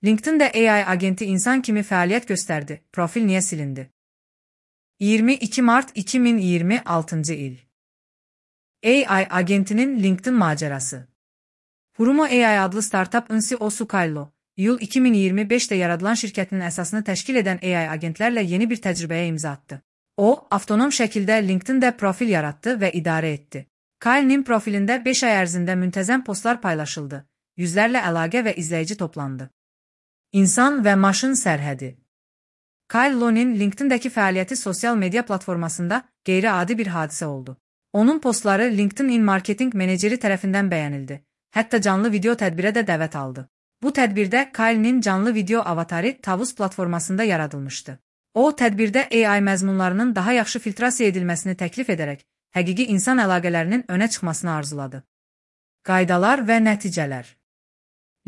LinkedIn-də AI agenti insan kimi fəaliyyət göstərdi. Profil niyə silindi? 22 Mart 2026 il. AI agentinin LinkedIn macərası. Hurumo AI adlı startup-ın CEO-su Kyle, iyul 2025-də yaradılan şirkətinin əsasını təşkil edən AI agentlərlə yeni bir təcrübəyə imza atdı. O, avtonom şəkildə LinkedIn-də profil yaratdı və idarə etdi. Kyle'nin profilində 5 ay ərzində müntəzəm postlar paylaşıldı, yüzlərlə əlaqə və izləyici toplandı. İnsan və maşın sərhədi. Kyle'nin LinkedIn-dəki fəaliyyəti sosial media platformasında qeyri-adi bir hadisə oldu. Onun postları LinkedIn marketinq meneceri tərəfindən bəyənildi. Hətta canlı video tədbirə də dəvət aldı. Bu tədbirdə Kyle'nin canlı video avatarı Tavus platformasında yaradılmışdı. O, tədbirdə AI məzmunlarının daha yaxşı filtrasiya edilməsini təklif edərək, həqiqi insan əlaqələrinin önə çıxmasını arzuladı. Qaydalar və nəticələr.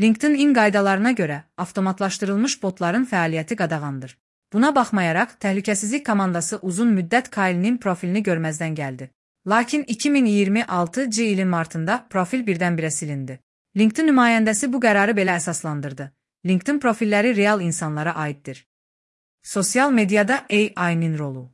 LinkedIn qaydalarına görə avtomatlaşdırılmış botların fəaliyyəti qadağandır. Buna baxmayaraq, təhlükəsizlik komandası uzun müddət Kyle'nin profilini görməzdən gəldi. Lakin 2026 ilin martında profil birdən-birə silindi. LinkedIn nümayəndəsi bu qərarı belə əsaslandırdı. LinkedIn profilləri real insanlara aiddir. Sosial mediada AI-nin rolu.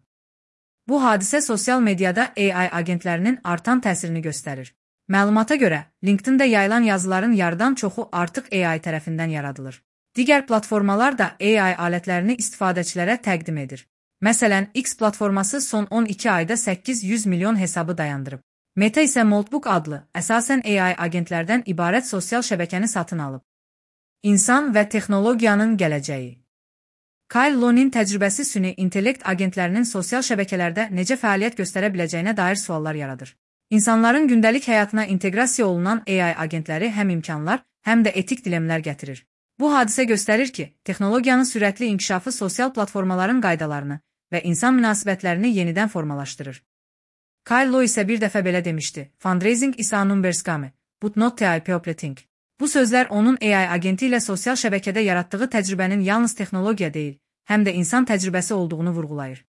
Bu hadisə sosial mediada AI agentlərinin artan təsirini göstərir. Məlumata görə, LinkedIn-də yayılan yazıların yarıdan çoxu artıq AI tərəfindən yaradılır. Digər platformalar da AI alətlərini istifadəçilərə təqdim edir. Məsələn, X platforması son 12 ayda 800 milyon hesabı dayandırıb. Meta isə Moltbook adlı, əsasən AI agentlərdən ibarət sosial şəbəkəni satın alıb. İnsan və texnologiyanın gələcəyi. Kyle'nin təcrübəsi süni intellekt agentlərinin sosial şəbəkələrdə necə fəaliyyət göstərə biləcəyinə dair suallar yaradır. İnsanların gündəlik həyatına inteqrasiya olunan AI agentləri həm imkanlar, həm də etik dilemlər gətirir. Bu hadisə göstərir ki, texnologiyanın sürətli inkişafı sosial platformaların qaydalarını və insan münasibətlərini yenidən formalaşdırır. Kyle isə bir dəfə belə demişdi: "Fundraising is a numbers game, but not the people think." Bu sözlər onun AI agenti ilə sosial şəbəkədə yaratdığı təcrübənin yalnız texnologiya deyil, həm də insan təcrübəsi olduğunu vurğulayır.